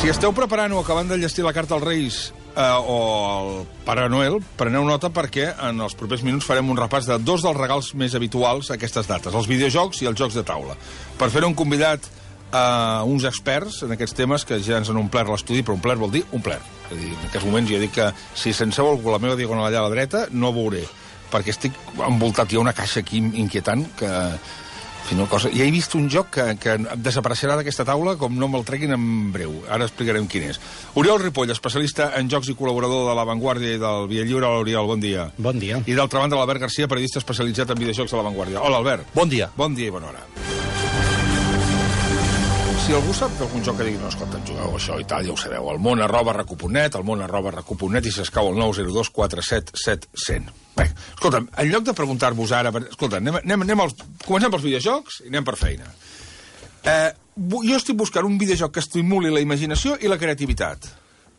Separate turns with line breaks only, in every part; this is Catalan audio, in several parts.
Si esteu preparant o acabant d'enllestir la carta als Reis o al Pare Noel, preneu nota perquè en els propers minuts farem un repàs de dos dels regals més habituals a aquestes dates, els videojocs i els jocs de taula. Per fer-ho hem convidat uns experts en aquests temes que ja ens han omplert l'estudi, però omplert vol dir omplert. És a dir, en aquests moments jo dic que si senceu algú la meva diagonal allà a la dreta, no veuré, perquè estic envoltat, hi ha una caixa aquí inquietant que... Ja he vist un joc que desapareixerà d'aquesta taula com no me'l treguin en breu. Ara explicarem quin és. Oriol Ripoll, especialista en jocs i col·laborador de La Vanguardia i del Via Lliure. Hola, Oriol, bon dia.
Bon dia.
I d'altra banda, l'Albert Garcia, periodista especialitzat en videojocs de La Vanguardia. Hola, Albert.
Bon dia.
Bon dia i bona hora. Si algú sap d'algun joc que digui, no, escolta, jugueu això i tal, ja ho sabeu, el món@recu.net, el món@recu.net, i s'escau el 902 477 100. Bé, escolta'm, en lloc de preguntar-vos ara... Escolta, comencem pels videojocs i anem per feina. Jo estic buscant un videojoc que estimuli la imaginació i la creativitat.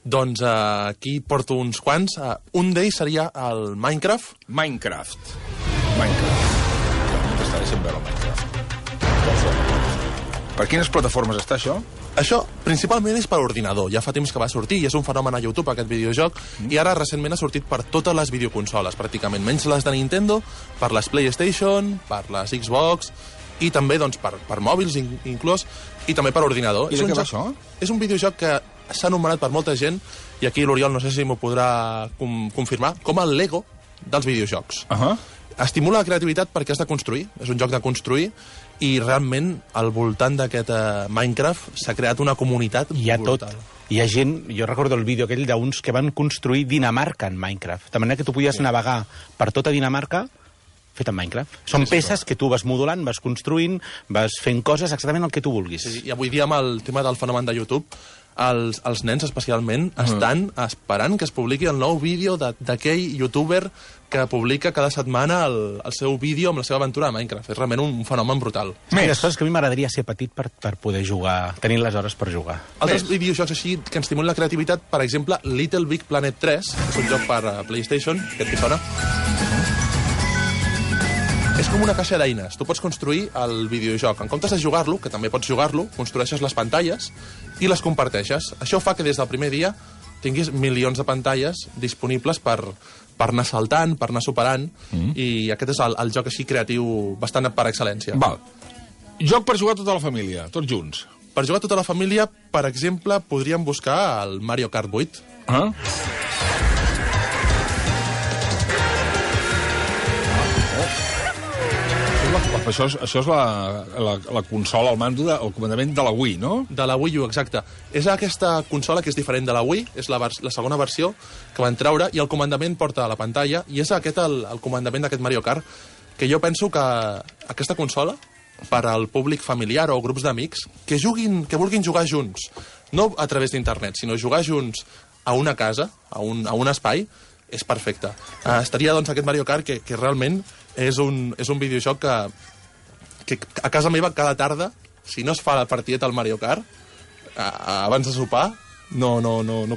Doncs aquí porto uns quants. Un d'ells seria el Minecraft.
Minecraft. T'estaré sent veure el Minecraft. Per quines plataformes està això?
Això principalment és per ordinador. Ja fa temps que va sortir i és un fenomen a YouTube, aquest videojoc, i ara recentment ha sortit per totes les videoconsoles, pràcticament, menys les de Nintendo, per les PlayStation, per les Xbox, i també doncs, per mòbils inclús, i també per ordinador.
I de què va això?
És un videojoc que s'ha anomenat per molta gent, i aquí l'Oriol no sé si m'ho podrà confirmar, com el Lego dels videojocs. Estimula la creativitat perquè has de construir, és un joc de construir, i realment al voltant d'aquest Minecraft s'ha creat una comunitat brutal.
Hi ha gent, jo recordo el vídeo aquell d'uns que van construir Dinamarca en Minecraft, de manera que tu podies navegar per tota Dinamarca fet en Minecraft. Són peces que tu vas modulant, vas construint, vas fent coses exactament el que tu vulguis.
Sí, i avui dia amb el tema del fenomen de YouTube, els nens especialment estan esperant que es publiqui el nou vídeo d'aquell youtuber que publica cada setmana el seu vídeo amb la seva aventura a Minecraft. És realment un fenomen brutal.
Les coses que a mi m'agradaria ser petit per poder jugar, tenir les hores per jugar.
Altres videojocs així que ens estimulen la creativitat, per exemple, Little Big Planet 3, que és un joc per PlayStation, aquest que sona. És com una caixa d'eines. Tu pots construir el videojoc. En comptes de jugar-lo, que també pots jugar-lo, construeixes les pantalles i les comparteixes. Això fa que des del primer dia tinguis milions de pantalles disponibles per anar saltant, per anar superant, i aquest és el joc així creatiu bastant per excel·lència.
Val. Joc per jugar tota la família, tots junts.
Per jugar tota la família, per exemple, podríem buscar el Mario Kart 8.
Això és la consola, el mando, el comandament de la Wii, no?
De la Wii U, exacte. És aquesta consola que és diferent de la Wii, és la segona versió que van treure, i el comandament porta a la pantalla, i és aquest el comandament d'aquest Mario Kart, que jo penso que aquesta consola, per al públic familiar o grups d'amics, que vulguin jugar junts, no a través d'internet, sinó jugar junts a una casa, a un espai, és perfecte. Estaria, doncs, aquest Mario Kart que realment és un videojoc que a casa meva cada tarda, si no es fa la partideta al Mario Kart, abans de sopar, no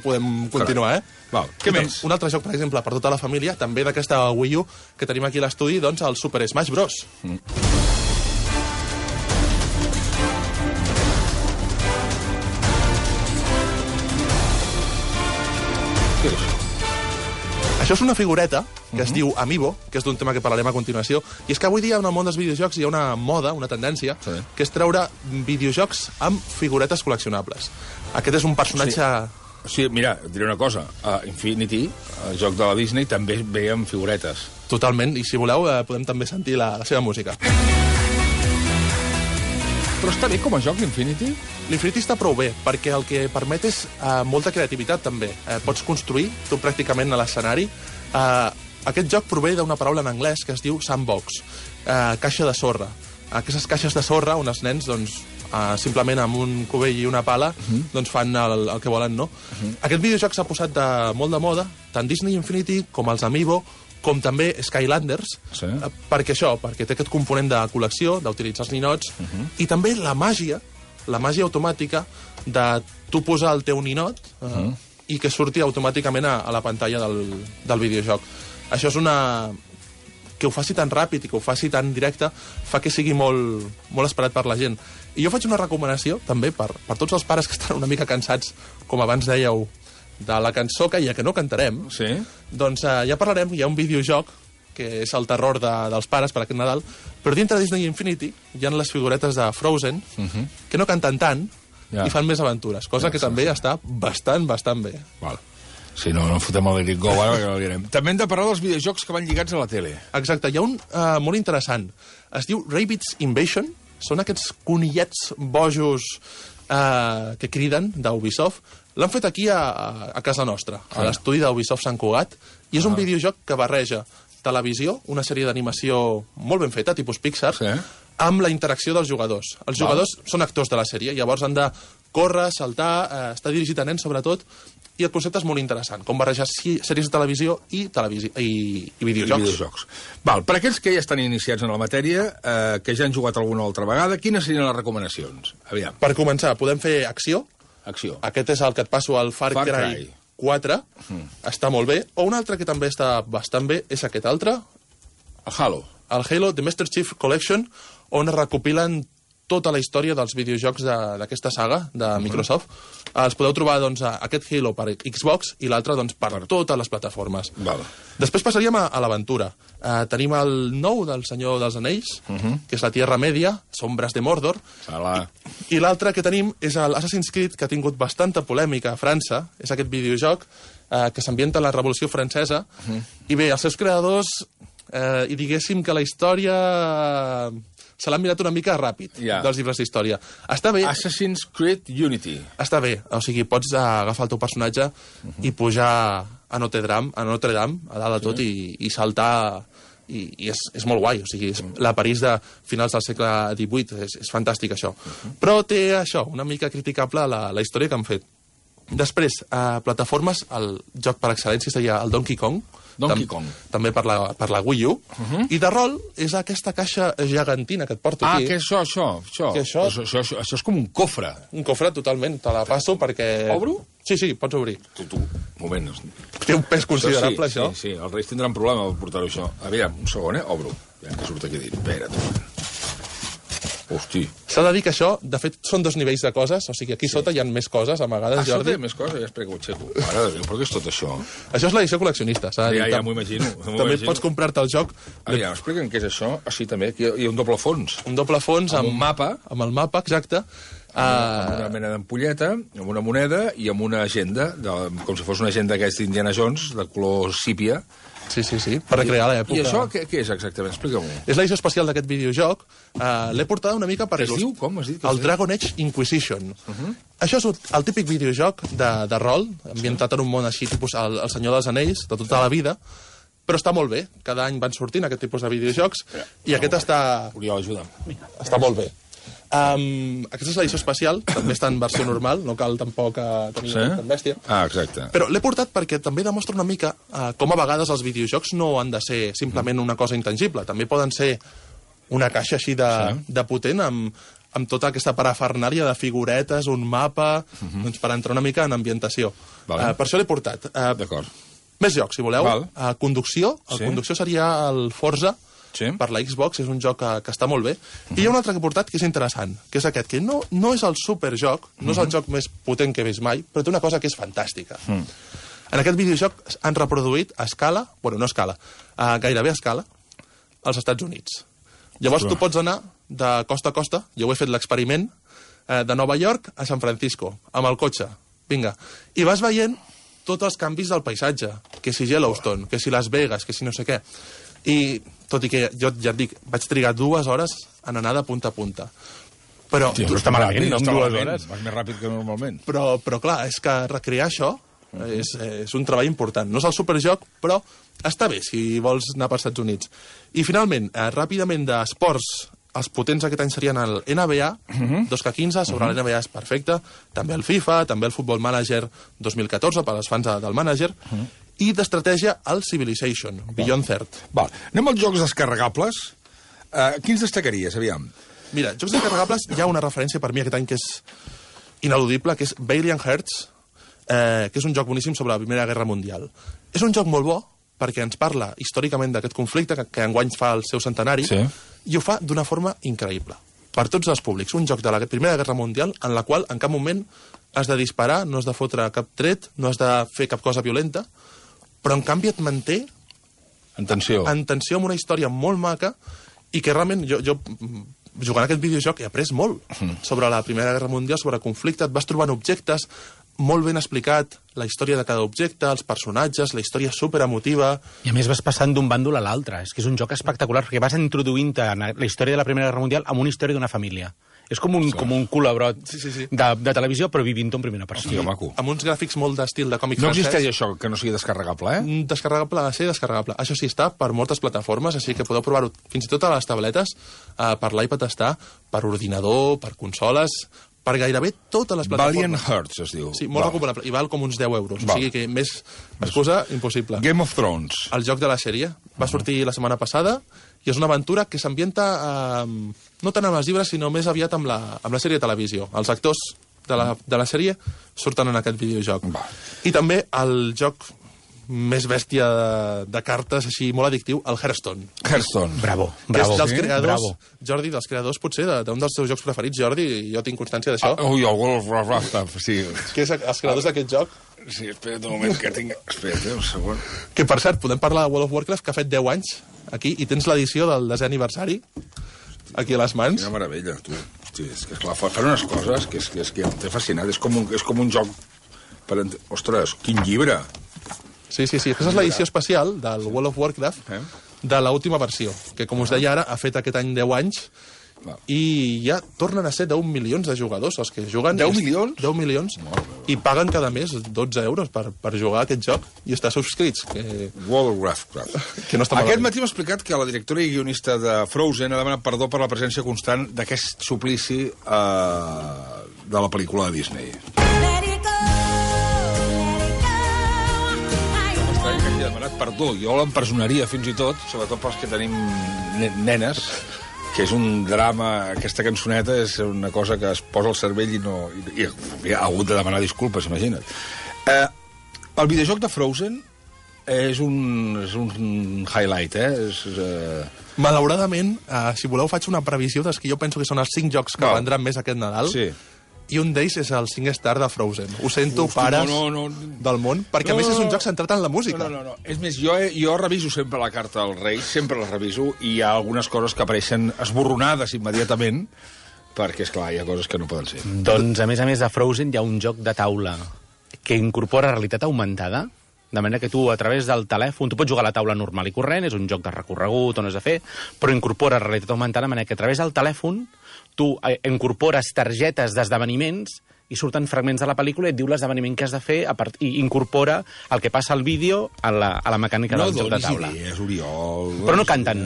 podem continuar,
Val. Què més?
Un altre joc, per exemple, per tota la família, també d'aquesta Wii U que tenim aquí a l'estudi, doncs el Super Smash Bros.
Què és això?
Això és una figureta que es diu Amiibo, que és d'un tema que parlarem a continuació, i és que avui dia en el món dels videojocs hi ha una moda, una tendència, que és treure videojocs amb figuretes col·leccionables. Aquest és un personatge...
Sí, mira, et diré una cosa. Infinity, el joc de la Disney, també ve amb figuretes.
Totalment, i si voleu podem també sentir la seva música.
Però està bé com a joc, l'Infinity?
L'Infinity està prou bé, perquè el que permet és molta creativitat, també. Pots construir, tu pràcticament a l'escenari. Aquest joc prové d'una paraula en anglès que es diu sandbox, caixa de sorra. Aquestes caixes de sorra on els nens, doncs, simplement amb un cubell i una pala, doncs fan el que volen, no? Aquest videojoc s'ha posat molt de moda, tant Disney Infinity com els Amiibo, com també Skylanders, perquè té aquest component de col·lecció, d'utilitzar els ninots, i també la màgia automàtica de tu posar el teu ninot i que surti automàticament a la pantalla del videojoc. Això és que ho faci tan ràpid i que ho faci tan directe fa que sigui molt, molt esperat per la gent. I jo faig una recomanació, també, per tots els pares que estan una mica cansats, com abans dèieu, de la cançó que no cantarem.
Sí.
Doncs ja parlarem, hi ha un videojoc que és el terror dels pares per aquest Nadal, però dintre de Disney Infinity hi ha les figuretes de Frozen que no canten tant i fan més aventures, cosa que també està bastant bé.
Val. Si no, no fotem el Let It Go, ara que no direm. També hem de parlar dels videojocs que van lligats a la tele.
Exacte, hi ha un molt interessant. Es diu Rabbids Invasion. Són aquests conillets bojos que criden d'Ubisoft. L'han fet aquí a casa nostra, a l'estudi d'Ubisoft Sant Cugat, i és un videojoc que barreja televisió, una sèrie d'animació molt ben feta, tipus Pixar, amb la interacció dels jugadors. Els jugadors són actors de la sèrie, llavors han de córrer, saltar, està dirigit a nens sobretot, i el concepte és molt interessant, com barrejar sèries de televisió i videojocs.
Val, per aquells que ja estan iniciats en la matèria, que ja han jugat alguna altra vegada, quines serien les recomanacions? Aviam.
Per començar, podem fer acció.
Acció.
Aquest és el que et passo al Far Cry 4. Està molt bé. O un altre que també està bastant bé és aquest altre.
El Halo.
El Halo The Master Chief Collection, on es recopilen tota la història dels videojocs d'aquesta saga de Microsoft. Els podeu trobar, doncs, aquest Halo per Xbox i l'altre, doncs, per totes les plataformes. Després passaríem a l'aventura. Tenim el nou del Senyor dels Anells, que és la Tierra Media, Sombras de Mordor. I l'altre que tenim és l'Assassin's Creed, que ha tingut bastanta polèmica a França. És aquest videojoc que s'ambienta en la Revolució Francesa. I bé, els seus creadors, i diguéssim que la història se l'han mirat una mica ràpid, dels llibres d'història. Està bé.
Assassin's Creed Unity.
Està bé, o sigui, pots agafar el teu personatge i pujar a Notre Dame, a dalt de tot, i saltar, i és molt guai, o sigui, la París de finals del segle XVIII, és fantàstic això. Però té això, una mica criticable la història que han fet. Després, a plataformes, el joc per excel·lència seria el Donkey Kong, també per la Wii U, i de rol és aquesta caixa gegantina que et porto aquí.
Què és això? Això és com un cofre.
Un cofre, totalment. Te la passo perquè...
Obro?
Sí, pots obrir.
Tu, un moment.
Té un pes considerable, això.
Sí, els Reis tindran problema per portar-ho, això. Aviam, un segon, Obro. Aviam, que surt aquí dins. Espera't. Hosti.
S'ha de dir que això, de fet, són 2 nivells de coses, o sigui, aquí sota hi ha més coses, amagades, Jordi.
Sota hi ha més coses? Ja espera que ho aixeco. Mare de Déu, però què és tot això?
Això és l'edició col·leccionista, s'ha de dir.
Ja m'ho imagino.
També pots comprar-te el joc.
Aviam, explica'm què és això. Sí, també, aquí hi ha un doble fons.
Un doble fons amb
un mapa.
Amb el mapa, exacte.
Amb una mena d'ampolleta, amb una moneda i amb una agenda, com si fos una agenda aquesta d'Indiana Jones, de color sípia.
Sí, per recrear l'època.
I això què és exactament? Explica-m'ho.
És l'edició especial d'aquest videojoc. L'he portada una mica per...
Es diu? Com has dit?
El Dragon Age Inquisition. Això és el típic videojoc de rol, ambientat en un món així, tipus el Senyor dels Anells, de tota la vida, però està molt bé. Cada any van sortint aquest tipus de videojocs, i aquest està...
Oriol, ajuda'm.
Està molt bé. Aquesta és l'edició especial, també està en versió normal, no cal tampoc tenir tan bèstia.
Exacte.
Però l'he portat perquè també demostra una mica com a vegades els videojocs no han de ser simplement una cosa intangible, també poden ser una caixa així de potent amb tota aquesta parafernàlia de figuretes, un mapa, doncs per entrar una mica en ambientació. Per això l'he portat.
D'acord.
Més jocs, si voleu. Conducció. El conducció seria el Forza, per la Xbox, és un joc que està molt bé. I hi ha un altre que he portat que és interessant, que és aquest, que no és el superjoc, no és el joc més potent que he vist mai, però té una cosa que és fantàstica. En aquest videojoc han reproduït a escala, bueno, no a escala, gairebé a escala, als Estats Units. Llavors tu pots anar de costa a costa, jo he fet l'experiment, de Nova York a San Francisco, amb el cotxe, vinga, i vas veient tots els canvis del paisatge, que si Yellowstone, que si Las Vegas, que si no sé què. I, tot i que jo ja et dic, vaig trigar 2 hores en anar de punta a punta. Però
no està malament, no, en 2 hores.
Vas més ràpid que normalment.
Però clar, és que recrear això és un treball important. No és el superjoc, però està bé si vols anar per Estats Units. I finalment, ràpidament d'esports, els potents aquest any serien el NBA 2K15, sobre l'NBA és perfecte, també el FIFA, també el Football Manager 2014, per als fans del Manager, i d'estratègia el Civilization, Beyond Third.
Anem als jocs descarregables. Quins destacaries, aviam?
Mira, jocs descarregables, hi ha una referència per mi aquest any que és ineludible, que és Valiant Hearts, que és un joc boníssim sobre la Primera Guerra Mundial. És un joc molt bo, perquè ens parla històricament d'aquest conflicte, que enguany fa el seu centenari, i ho fa d'una forma increïble. Per tots els públics. Un joc de la Primera Guerra Mundial en la qual en cap moment has de disparar, no has de fotre cap tret, no has de fer cap cosa violenta, però en canvi et manté
en tensió
amb una història molt maca i que realment jo jugant a aquest videojoc he après molt sobre la Primera Guerra Mundial, sobre el conflicte, et vas trobant objectes, molt ben explicat, la història de cada objecte, els personatges, la història superemotiva...
I a més vas passant d'un bàndol a l'altre. És que és un joc espectacular, perquè vas introduint-te en la història de la Primera Guerra Mundial amb una història d'una família. És com un colabrot de televisió, però vivint-ho en primera persona.
Hòstia, maco.
Amb uns gràfics molt d'estil de còmic
No
francès.
existeix això, que no sigui descarregable,
Descarregable, ha de ser descarregable. Això sí, està per moltes plataformes, així que podeu provar-ho fins i tot a les tabletes, per l'iPad està, per ordinador, per consoles, per gairebé totes les plataformes.
Valiant Hearts, es diu.
Sí, molt recomanable. I val com uns 10 euros. O sigui que més excusa impossible.
Game of Thrones.
El joc de la sèrie. Va sortir la setmana passada i és una aventura que s'ambienta no tant amb els llibres, sinó més aviat amb la sèrie de televisió. Els actors de la sèrie surten en aquest videojoc. I també el joc més bèstia de cartes, així molt addictiu, el Hearthstone.
Hearthstone.
Bravo.
És dels creadors, Jordi, dels creadors potser d'un dels teus jocs preferits, Jordi, i jo tinc constància d'això.
Ui, el World of Warcraft, sí.
Que és els creadors d'aquest joc.
Sí, espera't un moment que tinc... Espera't, un segon.
Que, per cert, podem parlar de World of Warcraft, que ha fet 10 anys aquí, i tens l'edició del 10è aniversari aquí a les mans.
Quina meravella, tu. Sí, és que, clar, fan unes coses que em té fascinat. És com un joc... Ostres, quin llibre!
Sí. Aquesta és l'edició especial del World of Warcraft de l'última versió, que, com us deia ara, ha fet aquest any 10 anys i ja tornen a ser 10 milions de jugadors els que juguen.
10 milions?
10 milions. I paguen cada mes 12 euros per jugar a aquest joc i estar subscrits.
World of Warcraft.
Que no està
Aquest matí m'ha explicat que la directora i guionista de Frozen ha demanat perdó per la presència constant d'aquest suplici de la pel·lícula de Disney. He demanat perdó, jo l'empresonaria fins i tot, sobretot pels que tenim nenes, que és un drama, aquesta cançoneta és una cosa que es posa al cervell i ha hagut de demanar disculpes, imagina't. El videojoc de Frozen és un highlight,
Malauradament, si voleu, faig una previsió dels que jo penso que són els 5 jocs que vendran més aquest Nadal.
Sí.
I un d'ells és el 5 star de Frozen. Ho sento, pares del món, perquè a més és un joc centrat en la música.
No. És més, jo reviso sempre la carta als Reis, sempre la reviso, i hi ha algunes coses que apareixen esborronades immediatament, perquè, esclar, hi ha coses que no poden ser.
Doncs, a més de Frozen, hi ha un joc de taula que incorpora realitat augmentada, de manera que tu, a través del telèfon, tu pots jugar a la taula normal i corrent, és un joc de recorregut on has de fer, però incorpora realitat augmentada, de manera que a través del telèfon tu incorpores targetes d'esdeveniments i surten fragments de la pel·lícula i et diu l'esdeveniment que has de fer i incorpora el que passa al vídeo a la mecànica del joc de taula.
No donis idees, Oriol.
Però no canten.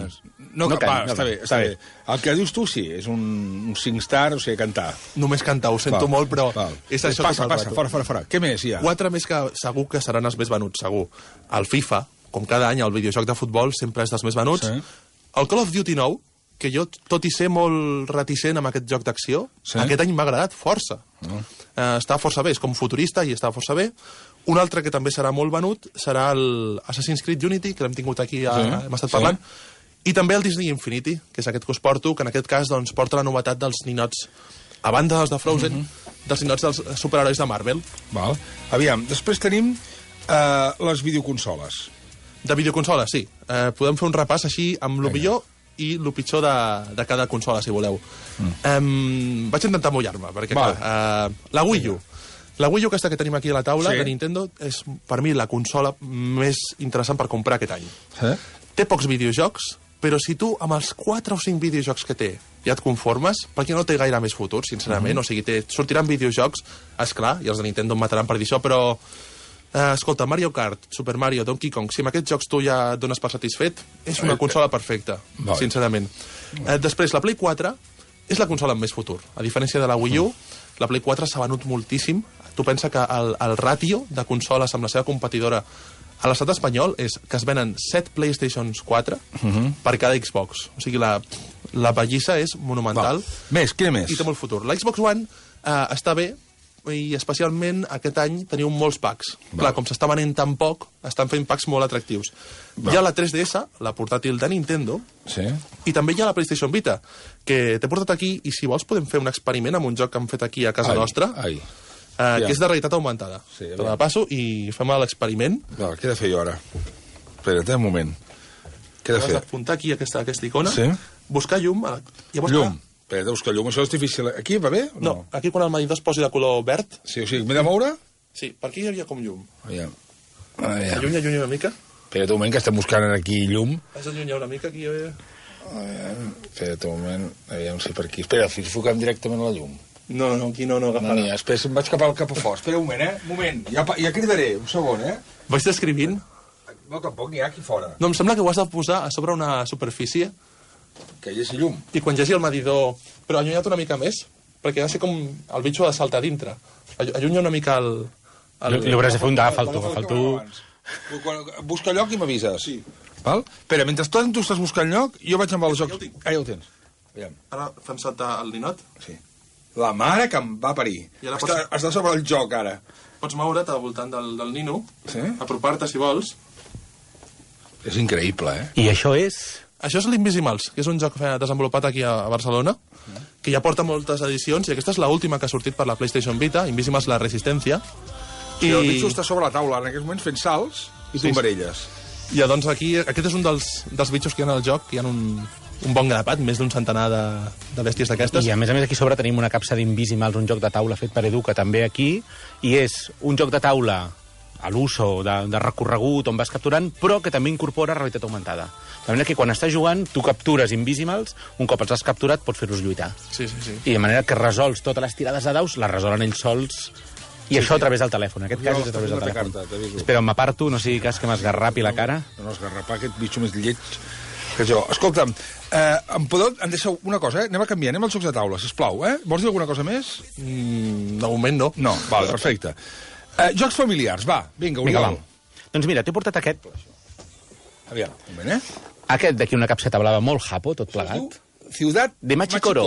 No canten. Està bé. El que dius tu sí, és un 5 star, o sigui, cantar.
Només cantar, ho sento molt, però... És això
passa, fora. Què més hi ha?
4 més que segur que seran els més venuts, segur. El FIFA, com cada any, el videojoc de futbol sempre és dels més venuts. El Call of Duty nou, que jo, tot i ser molt reticent amb aquest joc d'acció, aquest any m'ha agradat força. Està força bé, és com futurista i està força bé. Un altre que també serà molt venut serà l'Assassin's Creed Unity, que l'hem tingut aquí, hem estat parlant, i també el Disney Infinity, que és aquest que us porto, que en aquest cas doncs, porta la novetat dels ninots, a banda dels de Frozen, dels ninots dels superherois de Marvel.
Aviam, després tenim les videoconsoles.
De videoconsoles, sí. Podem fer un repàs així amb el millor i el pitjor de cada consola, si voleu. Vaig intentar mullar-me, perquè la Wii U. La Wii U, aquesta que tenim aquí a la taula, de Nintendo, és per mi la consola més interessant per comprar aquest any. Té pocs videojocs, però si tu amb els 4 o 5 videojocs que té ja et conformes, perquè no té gaire més futur, sincerament, o sigui, sortiran videojocs, esclar, i els de Nintendo em mataran per dir això, però escolta, Mario Kart, Super Mario, Donkey Kong, si amb aquests jocs tu ja et dones per satisfet, és una consola perfecta, sincerament. Després, la Play 4 és la consola amb més futur. A diferència de la Wii U, la Play 4 s'ha venut moltíssim. Tu pensa que el ràtio de consoles amb la seva competidora a l'estat espanyol és que es venen 7 PlayStations 4 per cada Xbox. O sigui, la pallissa és monumental.
Més, què més?
I té molt futur. La Xbox One està bé, i especialment aquest any teniu molts packs. Clar, com s'està venent tan poc, estan fent packs molt atractius. Hi ha la 3DS, la portàtil de Nintendo, i també hi ha la PlayStation Vita, que t'he portat aquí, i si vols podem fer un experiment amb un joc que hem fet aquí a casa nostra, que és de realitat augmentada. Te la passo i fem l'experiment.
Què he de fer jo ara? Espera't, un moment. Què he de fer?
Has d'apuntar aquí aquesta icona, buscar llum.
Llum. Espera, buscar llum, això és difícil. Aquí va bé?
No, aquí quan el medidor es posi de color verd...
Sí, o sigui, m'he de moure?
Sí, per aquí hi havia com llum.
Aviam.
Allunya una mica.
Espera't un moment, que estem buscant aquí llum.
Has d'allunyar una mica, aquí hi havia...
Espera't un moment, aviam si per aquí... Espera, si foquem directament la llum.
No, aquí no agafarà.
No, espera, em vaig cap a fora. Espera un moment, Un moment, ja cridaré, un segon,
Vaig descrivint?
No, tampoc n'hi ha aquí fora.
No, em sembla que ho has de posar a sobre una superfície.
Que hi hagi llum.
I quan hi hagi el medidor... Però allunyat una mica més, perquè ha de ser com el bitxo ha de saltar dintre. Allunya una mica el...
Li hauràs de fer un d'agafar-tu.
Busca lloc i m'avises. Sí. Val? Espera, mentre tu estàs buscant lloc, jo vaig amb el joc... Ja ho tens.
Ara fem saltar el ninot.
Sí. La mare que em va parir. Està sobre el joc, ara.
Pots moure't al voltant del nino, apropar-te si vols.
És increïble,
I això és...
Això és l'Invisimals, que és un joc desenvolupat aquí a Barcelona, que ja porta moltes edicions, i aquesta és l'última que ha sortit per la PlayStation Vita, Invisimals La Resistència.
I el bitxo està sobre la taula, en aquests moments fent salts i tombarelles.
I doncs aquí, aquest és un dels bitxos que hi ha al joc, hi ha un bon grapat, més d'un centenar de bèsties d'aquestes.
I a més aquí sobre tenim una capsa d'Invisimals, un joc de taula fet per Educa també aquí, i és un joc de taula a l'uso de recorregut on vas capturant, però que també incorpora realitat augmentada. De manera que quan estàs jugant, tu captures Invisimals, un cop els has capturat pots fer-los lluitar.
Sí.
I de manera que resols totes les tirades de daus, les resolen ells sols, i això a través del telèfon. En aquest cas és a través del telèfon. Espera, m'aparto, no sigui cas que m'esgarrapi la cara.
No, esgarrapar aquest bitxo més lleig que jo. Escolta'm, em deixeu una cosa, anem a canviar, anem als jocs de taula, sisplau, Vols dir alguna cosa més?
De moment no.
No, vale, perfecte. Jocs familiars, va, vinga, Oriol.
Doncs mira, t'he portat aquest.
Aviam, un moment,
Aquest d'aquí, una capseta blava molt japo, tot plegat.
Ciutat
de Machikoro.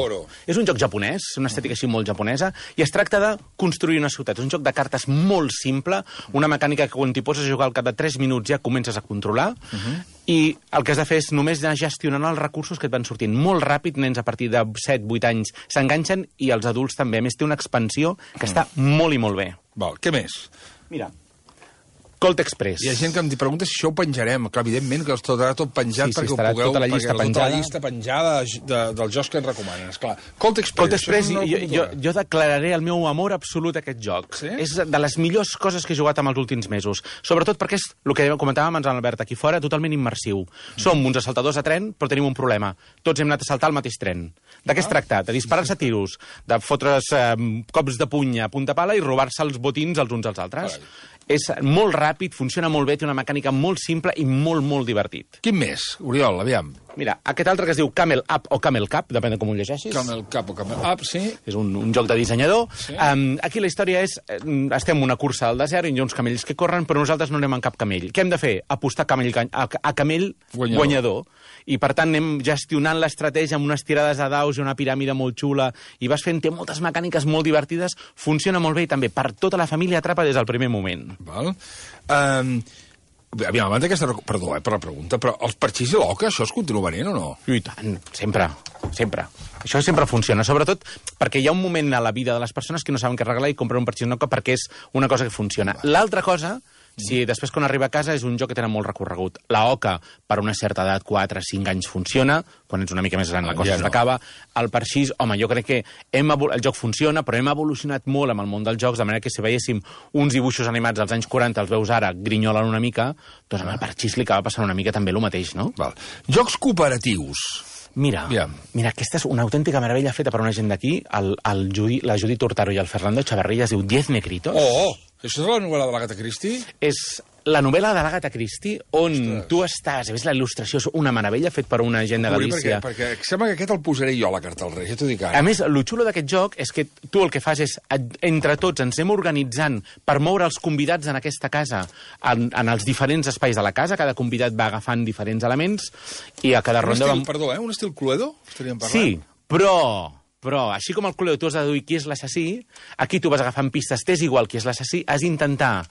És un joc japonès, una estètica així molt japonesa, i es tracta de construir una ciutat. És un joc de cartes molt simple, una mecànica que quan t'hi poses a jugar al cap de 3 minuts ja comences a controlar, i el que has de fer és només anar gestionant els recursos que et van sortint molt ràpid. Nens a partir de 7-8 anys s'enganxen, i els adults també. A més, té una expansió que està molt i molt bé.
Val, què més?
Mira, Colt Express.
Hi ha gent que em pregunta si això ho penjarem. Clar, evidentment que estarà tot penjat perquè ho pugueu...
Tota la llista penjada.
Tota la llista penjada dels jocs que ens recomanen, esclar. Colt Express,
jo declararé el meu amor absolut a aquest joc.
Sí?
És de les millors coses que he jugat en els últims mesos. Sobretot perquè és, el que comentàvem abans amb l'Albert aquí fora, totalment immersiu. Som uns assaltadors a tren, però tenim un problema. Tots hem anat a saltar al mateix tren. De què es tracta? De disparar-se a tiros, de fotre's cops de puny a punta pala i robar-se els botins els uns als altres. És molt ràpid, funciona molt bé, té una mecànica molt simple i molt, molt divertit.
Quin més, Oriol, aviam?
Mira, aquest altre que es diu Camel Up o Camel Cup, depèn de com ho llegeixis.
Camel Cup o Camel Up, sí.
És un joc de dissenyador. Sí. Aquí la història és, estem en una cursa al desert i hi ha uns camells que corren, però nosaltres no anem en cap camell. Què hem de fer? Apostar a camell guanyador. I, per tant, anem gestionant l'estratègia amb unes tirades de daus i una piràmide molt xula, i vas fent, té moltes mecàniques molt divertides, funciona molt bé i també per tota la família atrapa des del primer moment.
Val. Aviam, abans d'aquesta... Perdó, per la pregunta, però els parxís i l'oca, això es continua venent o no?
I tant, sempre. Això sempre funciona, sobretot perquè hi ha un moment a la vida de les persones que no saben què arreglar i compren un parxís i l'oca perquè és una cosa que funciona. L'altra cosa... Si després quan arriba a casa és un joc que tenen molt recorregut. La oca, per una certa edat, 4-5 anys, funciona. Quan ets una mica més gran la cosa s'acaba. El parxís, home, jo crec que el joc funciona, però hem evolucionat molt amb el món dels jocs, de manera que si veiéssim uns dibuixos animats als anys 40, els veus ara, grinyolen una mica, doncs amb el parxís li acaba passant una mica també el mateix, no?
Val. Jocs cooperatius.
Mira, aquesta és una autèntica meravella feta per una gent d'aquí, la Judit Hurtado i el Fernando Chavarría, es diu 10 Negritos.
Això és la novel·la de l'Agatha Christie?
És la novel·la de l'Agatha Christie on tu estàs, a més la il·lustració és una meravella fet per una gent de Galícia.
Perquè sembla que aquest el posaré jo a la carta al Rei, ja t'ho dic ara.
A més, el xulo d'aquest joc és que tu el que fas és, entre tots ens anem organitzant per moure els convidats en aquesta casa, en els diferents espais de la casa, cada convidat va agafant diferents elements i a cada ronda...
Perdó, un estil Cluedo? Estaríem parlant?
Sí, però Però, així com al Cluedo tu has de deduir qui és l'assassí, aquí tu vas agafant pistes, t'és igual qui és l'assassí, has d'intentar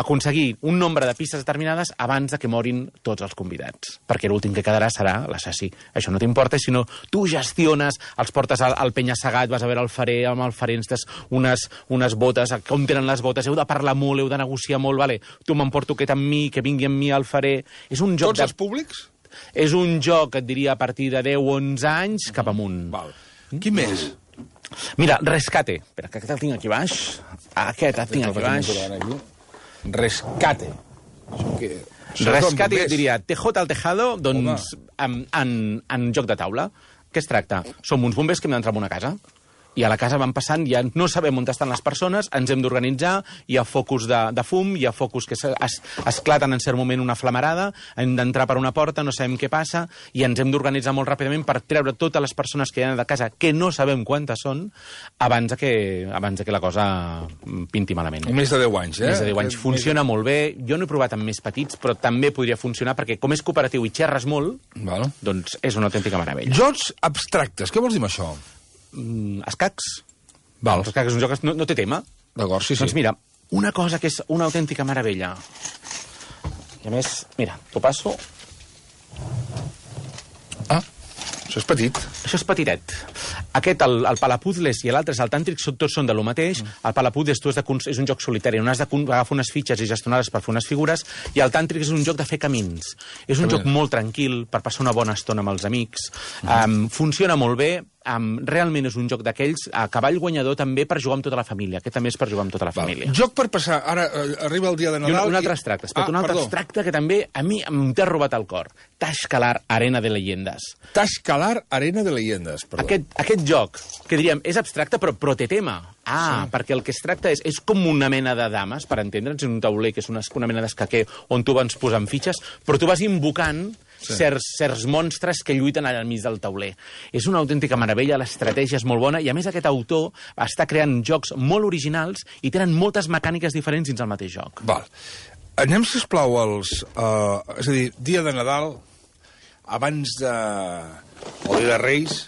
aconseguir un nombre de pistes determinades abans de que morin tots els convidats, perquè l'últim que quedarà serà l'assassí. Això no t'importa, sinó tu gestiones, els portes al penya-segat, vas a veure el farer, amb el farer ens unes botes, com tenen les botes, heu de parlar molt, heu de negociar molt, vale? Tu m'emporto aquest amb mi, que vingui amb mi al farer. És un joc
Tots els públics?
És un joc, et diria, a partir de 10 o 11 anys cap amunt.
Val. Quin més?
Mira, Rescate. Espera, que aquest el tinc aquí baix. Aquest el tinc aquí baix.
Rescate.
Rescate, et diria, TJ al tejado, doncs, en joc de taula. Què es tracta? Som uns bombers que hem d'entrar en una casa. I a la casa van passant, ja no sabem on estan les persones, ens hem d'organitzar, hi ha focus de fum, hi ha focus que esclaten en cert moment una flamarada, hem d'entrar per una porta, no sabem què passa, i ens hem d'organitzar molt ràpidament per treure totes les persones que hi ha de casa, que no sabem quantes són, abans que la cosa pinti malament.
Més de 10 anys, eh?
Més de 10 anys. Funciona molt bé. Jo no he provat amb més petits, però també podria funcionar, perquè com és cooperatiu i xerres molt, doncs és una autèntica meravella.
Jocs abstractes, què vols dir amb això?
Escacs.
Val.
Escacs és un joc que no té tema.
D'acord, sí.
Doncs mira, una cosa que és una autèntica meravella. I a més, mira, t'ho passo.
Ah, això és petit.
Això és petitet. Aquest, el Palapuzles i l'altre, el Tàntric, tots són de lo mateix. El Palapuzles és un joc solitari on has d'agafar unes fitxes i gestionar-les per fer unes figures, i el Tàntric és un joc de fer camins. És un joc molt tranquil per passar una bona estona amb els amics. Funciona molt bé. Realment és un joc d'aquells a cavall guanyador també per jugar amb tota la família. Aquest també és per jugar amb tota la família.
Joc per passar. Ara arriba el dia de Nadal.
I un altre extracte. Un altre extracte que també a mi t'ha robat el cor. Tashkalar, Arena de Leyendes.
Tashkalar, Arena de Leyendes.
Aquest joc, que diríem, és abstracte però té tema. Perquè el que es tracta és com una mena de dames, per entendre'ns, en un tauler que és una mena d'escaquer on tu vas posant fitxes, però tu vas invocant certs monstres que lluiten al mig del tauler. És una autèntica meravella, l'estratègia és molt bona, i a més aquest autor està creant jocs molt originals i tenen moltes mecàniques diferents dins el mateix joc.
Val. Anem, sisplau, és a dir, dia de Nadal, abans de... o dia de Reis,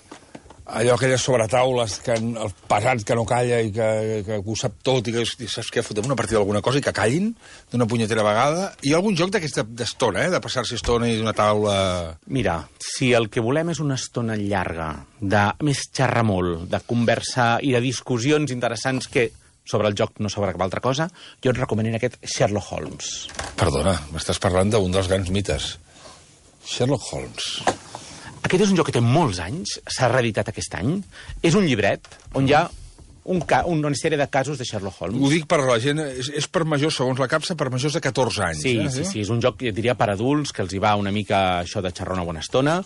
allò, aquelles sobretaules, el pesat que no calla i que ho sap tot, i que saps què, fotem una partida d'alguna cosa i que callin d'una punyetera vegada. Hi ha algun joc d'aquesta estona, de passar-se estona i d'una taula...
Mira, si el que volem és una estona llarga, de més xerrar molt, de conversar i de discussions interessants que sobre el joc no sobre cap altra cosa, jo et recomanaria aquest Sherlock Holmes.
Perdona, m'estàs parlant d'un dels grans mites. Sherlock Holmes...
Aquest és un joc que té molts anys, s'ha reeditat aquest any. És un llibret on hi ha una sèrie de casos de Sherlock Holmes.
Ho dic per la gent, és per majors, segons la capsa, per majors de 14 anys.
Sí, és un joc, jo diria, per adults, que els hi va una mica això de xerrar una bona estona.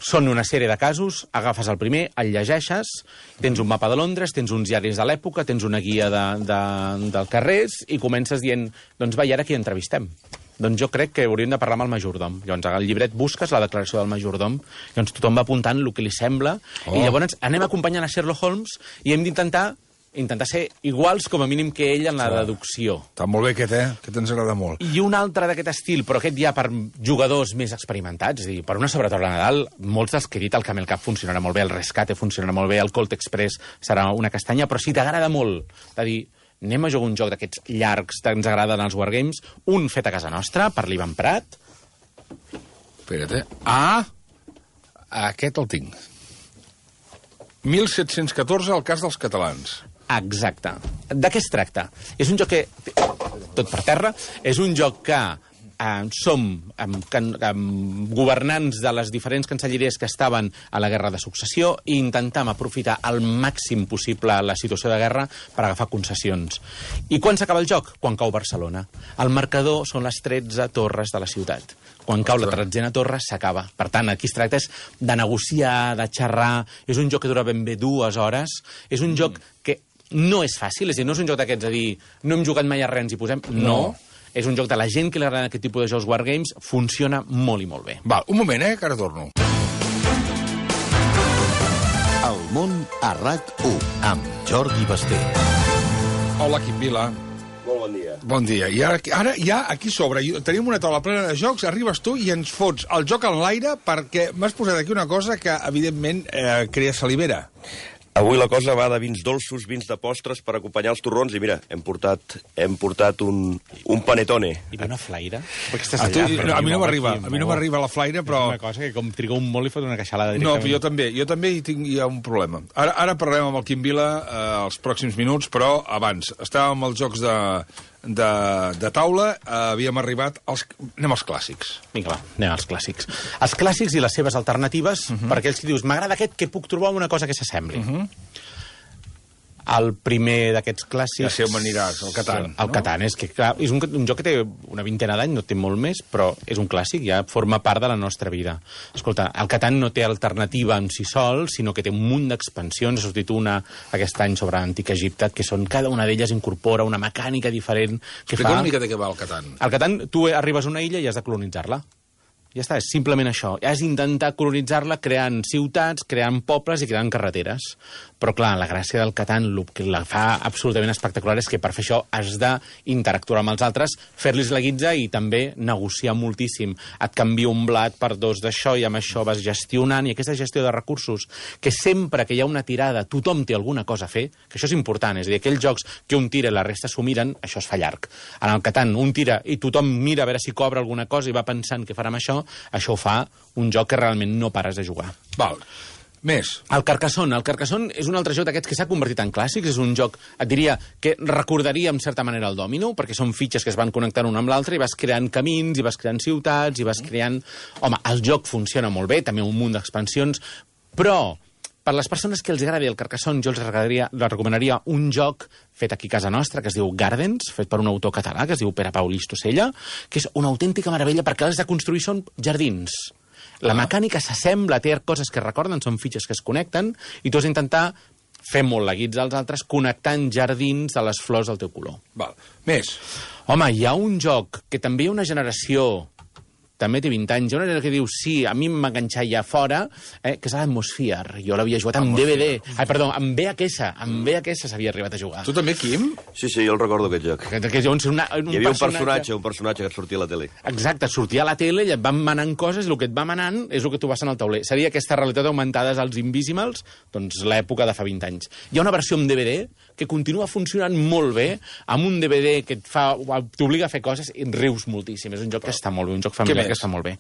Són una sèrie de casos, agafes el primer, el llegeixes, tens un mapa de Londres, tens uns diaris de l'època, tens una guia del carrers i comences dient, doncs va, i ara qui entrevistem? Doncs jo crec que hauríem de parlar amb el majordom. Llavors, al llibret busques la declaració del majordom, llavors tothom va apuntant el que li sembla, i llavors anem acompanyant a Sherlock Holmes i hem d'intentar ser iguals com a mínim que ell en la deducció.
Està molt bé aquest ens agrada molt.
I un altre d'aquest estil, però aquest ja per jugadors més experimentats, és a dir, per una sobretaula de Nadal, molts dels que he dit, el Camel Cup funcionarà molt bé, el Rescate funcionarà molt bé, el Colt Express serà una castanya, però si t'agrada molt, de dir, anem a jugar un joc d'aquests llargs que ens agraden als Wargames, un fet a casa nostra, per l'Ivan Prat.
Espera't, aquest el tinc. 1714, el cas dels catalans.
Exacte. De què es tracta? És un joc que... tot per terra. És un joc que som governants de les diferents cancelleries que estaven a la guerra de successió i intentam aprofitar al màxim possible la situació de guerra per agafar concessions. I quan s'acaba el joc? Quan cau Barcelona. El marcador són les 13 torres de la ciutat. Quan cau la 13a torre, s'acaba. Per tant, aquí es tracta de negociar, de xerrar. És un joc que dura ben bé 2 hores. És un joc que no és fàcil, és a dir, no és un joc d'aquests a dir no hem jugat mai a res, ens hi posem. No. És un joc de la gent que li agrada aquest tipus de jocs Wargames, funciona molt i molt bé.
Val, un moment, que ara torno.
El món a RAC1, amb Jordi Basté.
Hola, Quim Vila.
Molt bon dia.
Bon dia. I ara ja aquí sobre tenim una taula plena de jocs, arribes tu i ens fots el joc en l'aire perquè m'has posat aquí una cosa que, evidentment, crea salivera.
Avui la cosa va de vins dolços, vins de postres per acompanyar els torrons i mira, hem portat un panetone.
I una flaire?
A mi no m'arriba la flaire, però...
És una cosa que com triga un molt i fot una queixalada
No,
directament.
però jo també hi ha un problema. Ara parlarem amb el Quim Vila els pròxims minuts, però abans, estàvem als jocs de taula, havíem arribat anem als clàssics.
Vinga, va, anem als clàssics. Els clàssics i les seves alternatives, per aquells que dius, m'agrada aquest, que puc trobar una cosa que s'assembli. El primer d'aquests clàssics...
Ja sé on m'aniràs, el Catan.
El Catan, és que clar, és un joc que té una vintena d'any, no té molt més, però és un clàssic, ja forma part de la nostra vida. Escolta, el Catan no té alternativa en si sol, sinó que té un munt d'expansions. Ha sortit una aquest any sobre Antic Egipte, que cada una d'elles incorpora una mecànica diferent que
Explica una mica de què va el Catan.
El Catan, tu arribes a una illa i has de colonitzar-la. Ja està, és simplement això. Has d'intentar colonitzar-la creant ciutats, creant pobles i creant carreteres. Però, clar, la gràcia del Catan, el que la fa absolutament espectacular és que per fer això has d'interactuar amb els altres, fer-los la guitza i també negociar moltíssim. Et canvia un blat per dos d'això i amb això vas gestionant. I aquesta gestió de recursos, que sempre que hi ha una tirada tothom té alguna cosa a fer, que això és important. És a dir, aquells jocs que un tira i la resta s'ho miren, això es fa llarg. En el Catan, un tira i tothom mira a veure si cobra alguna cosa i va pensant què farà amb això ho fa un joc que realment no pares de jugar.
Val. Més.
El Carcassonne és un altre joc d'aquests que s'ha convertit en clàssics. És un joc, et diria, que recordaria en certa manera el Domino, perquè són fitxes que es van connectant un amb l'altre i vas creant camins, i vas creant ciutats, i vas creant... Home, el joc funciona molt bé, també un munt d'expansions, però per les persones que els agradi el Carcassonne, jo els recomanaria un joc fet aquí a casa nostra, que es diu Gardens, fet per un autor català, que es diu Pere Pau Listosella, que és una autèntica meravella perquè els de construir són jardins. La mecànica s'assembla, té coses que recorden, són fitxes que es connecten, i tu has d'intentar fer molt la guitza als altres connectant jardins de les flors del teu color.
Val. Més.
Home, hi ha un joc que també hi ha una generació... també té 20 anys, hi ha una generació que diu sí, a mi m'enganxar ja fora, que és l'Atmosphere. Jo l'havia jugat amb DVD. Perdó, amb VHS s'havia arribat a jugar.
Tu també, Quim? Sí, jo el recordo, aquest joc. Hi havia un personatge que et sortia a la tele.
Exacte, sortia a la tele i et van manant coses, i el que et va manant és el que tu vas en el tauler. Seria aquesta realitat augmentada als Invisimals, doncs l'època de fa 20 anys. Hi ha una versió amb DVD que continua funcionant molt bé, amb un DVD que t'obliga a fer coses i rius moltíssim. És un joc que està molt bé, un joc familiar que està molt bé.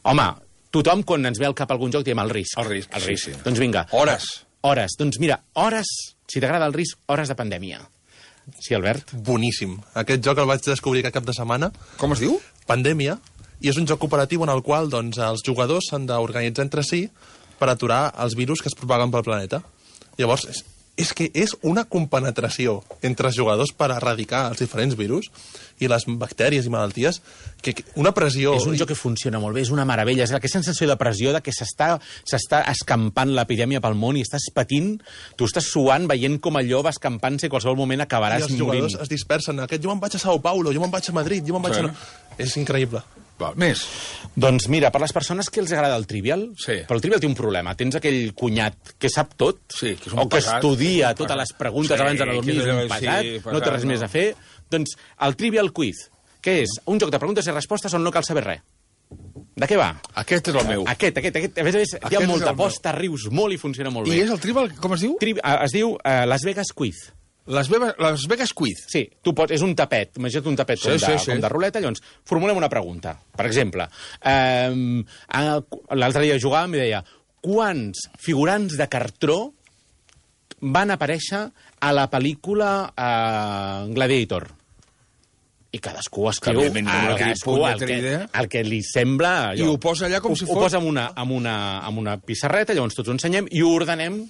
Home, tothom, quan ens ve al cap algun joc, diem el risc.
El risc, sí.
Doncs vinga.
Hores.
Doncs mira, hores, si t'agrada el risc, hores de pandèmia. Sí, Albert?
Boníssim. Aquest joc el vaig descobrir aquest cap de setmana.
Com es diu?
Pandèmia. I és un joc cooperatiu en el qual doncs, els jugadors s'han d'organitzar entre si per aturar els virus que es propaguen pel planeta. Llavors, és que és una compenetració entre els jugadors per erradicar els diferents virus i les bactèries i malalties, que una pressió...
És un joc que funciona molt bé, és una meravella. És aquesta sensació de pressió de que s'està escampant l'epidèmia pel món i estàs patint, tu estàs suant, veient com allò va escampant-se i en qualsevol moment acabaràs morint.
I els jugadors es dispersen. Jo me'n vaig a Sao Paulo, jo me'n vaig a Madrid, jo me'n vaig a... És increïble.
Va, més.
Doncs mira, per les persones que els agrada el Trivial, però el Trivial té un problema. Tens aquell cunyat que sap tot,
que
o que estudia totes les preguntes abans d'anar a dormir, és un pesat, no té res més a fer. Doncs el Trivial Quiz, que és un joc de preguntes i respostes on no cal saber res. De què va?
Aquest és el meu.
Aquest. A més, hi ha molta posta, rius molt i funciona molt bé.
I és el Trivial, com es diu?
Es diu Las Vegas Quiz.
Las Vegas Quiz.
Sí, és un tapet, imagina't un tapet com de ruleta, llavors formulem una pregunta. Per exemple, l'altre dia jugàvem i deia quants figurants de cartró van aparèixer a la pel·lícula Gladiator? I cadascú escriu el que li sembla...
I ho posa allà com si fos...
Ho posa amb una pissarreta, llavors tots ho ensenyem i ho ordenem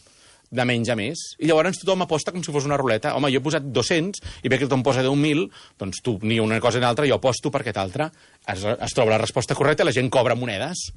de menys a més. I llavors tothom aposta com si fos una ruleta. Home, jo he posat 200 i ve que tothom posa 10.000, doncs tu ni una cosa ni l'altra, jo aposto per aquest altre. Es troba la resposta correcta i la gent cobra monedes.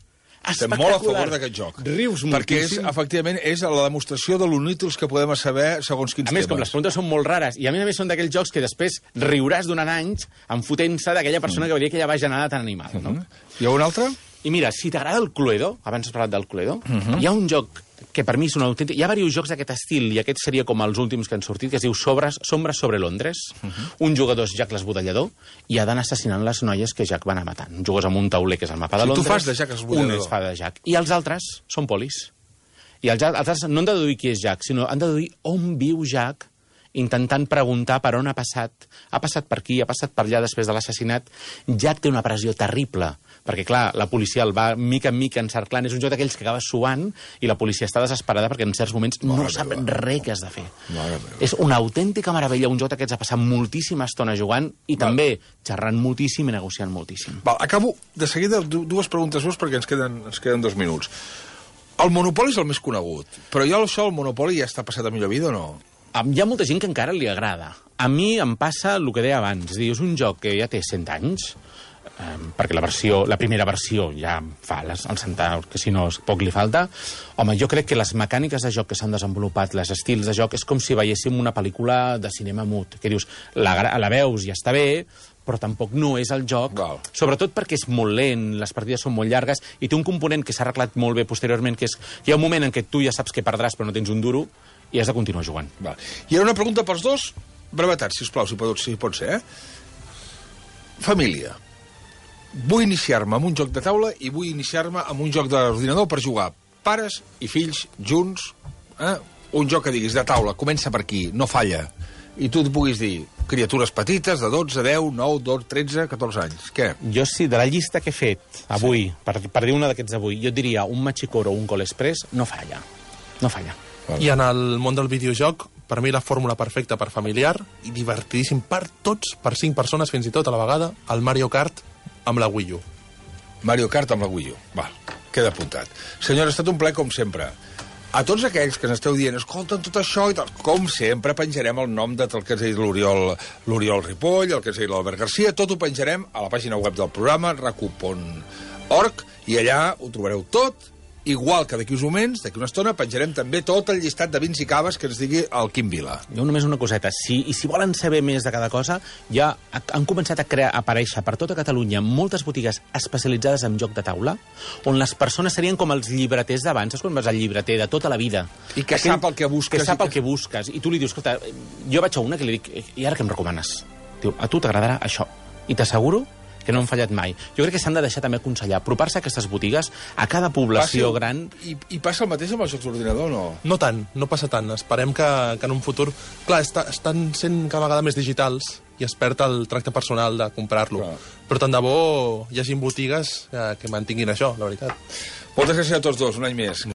Estem molt a favor d'aquest joc.
Rius moltíssim.
Perquè efectivament, és la demostració de l'onítils que podem saber segons quins temes.
A més, com les preguntes són molt rares, i a més són d'aquells jocs que després riuràs durant anys enfotent-se d'aquella persona que veuria aquella bajanada tan animada. No?
Hi ha un altre?
I mira, si t'agrada el Cluedo, abans has parlat del Cluedo, hi ha un joc que per mi és un autèntic... Hi ha diversos jocs d'aquest estil, i aquest seria com els últims que han sortit, que es diu Sombres sobre Londres. Un jugador és Jack l'esbudellador i ha d'anar assassinant les noies que Jack va anar matant. Jugues amb un tauler, que és el mapa de Londres.
Tu fas de Jack l'esbudellador.
Un es fa de Jack. I els altres són polis. I els altres no han de deduir qui és Jack, sinó han de deduir on viu Jack, intentant preguntar per on ha passat per aquí, ha passat per allà després de l'assassinat. Jack té una pressió terrible, perquè, clar, la policia el va mica en mica encerclant. És un joc d'aquells que acaba suant i la policia està desesperada perquè en certs moments no sap res què has de fer. És una autèntica meravella, un joc d'aquests ha passat moltíssima estona jugant i també xerrant moltíssim i negociant moltíssim.
Acabo de seguida dues preguntes més perquè ens queden 2 minuts. El Monopoli és el més conegut, però ja això, el Monopoli, ja està passat a millor vida o no?
Hi ha molta gent que encara li agrada. A mi em passa el que deia abans. És a dir, és un joc que ja té 100 anys, perquè la primera versió ja fa el centar, que si no poc li falta. Home, jo crec que les mecàniques de joc que s'han desenvolupat, els estils de joc, és com si veiéssim una pel·lícula de cinema mut, que dius, la veus i està bé, però tampoc no és el joc, sobretot perquè és molt lent, les partides són molt llargues, i té un component que s'ha arreglat molt bé posteriorment, que és hi ha un moment en què tu ja saps que perdràs però no tens un duro, i has de continuar jugant.
I ara una pregunta pels dos, brevetat, sisplau, si pot ser, Família. Vull iniciar-me amb un joc de taula i vull iniciar-me amb un joc d'ordinador per jugar pares i fills junts, un joc que diguis de taula, comença per aquí, no falla, i tu et puguis dir criatures petites de 12, 10, 9, 12, 13, 14 anys. Què?
Jo sí, de la llista que he fet avui, per dir una d'aquests avui, jo et diria un Machicoro o un Call Express, no falla. No falla.
I en el món del videojoc, per mi la fórmula perfecta per familiar i divertidíssim per tots, per 5 persones fins i tot a la vegada, el Mario Kart amb la Wii U.
Mario Kart amb la Wii U. Queda apuntat. Senyora, ha estat un plaer com sempre. A tots aquells que n'esteu dient, escolta, tot això i tal, com sempre penjarem el nom de tot el que ens ha dit l'Oriol Ripoll, el que ens ha dit l'Albert Garcia, tot ho penjarem a la pàgina web del programa, racu.org, i allà ho trobareu tot, igual que d'aquí uns moments, d'aquí una estona, penjarem també tot el llistat de vins i caves que ens digui el Quim Vila.
Jo només una coseta, si volen saber més de cada cosa, ja han començat a aparèixer per tota Catalunya moltes botigues especialitzades en joc de taula, on les persones serien com els llibreters d'abans, saps quan vas al llibreter de tota la vida?
I que sap el que busques.
Que sap el que busques, i tu li dius, escolta, jo vaig a una que li dic, i ara què em recomanes? Diu, a tu t'agradarà això, i t'asseguro que no han fallat mai. Jo crec que s'han de deixar també aconsellar, apropar-se a aquestes botigues, a cada població gran...
I passa el mateix amb els jocs d'ordinador, no?
No tant, no passa tant. Esperem que en un futur... Clar, estan sent cada vegada més digitals i es perd el tracte personal de comprar-lo. Però tant de bo hi hagi botigues que mantinguin això, la veritat.
Moltes gràcies a tots dos, un any més.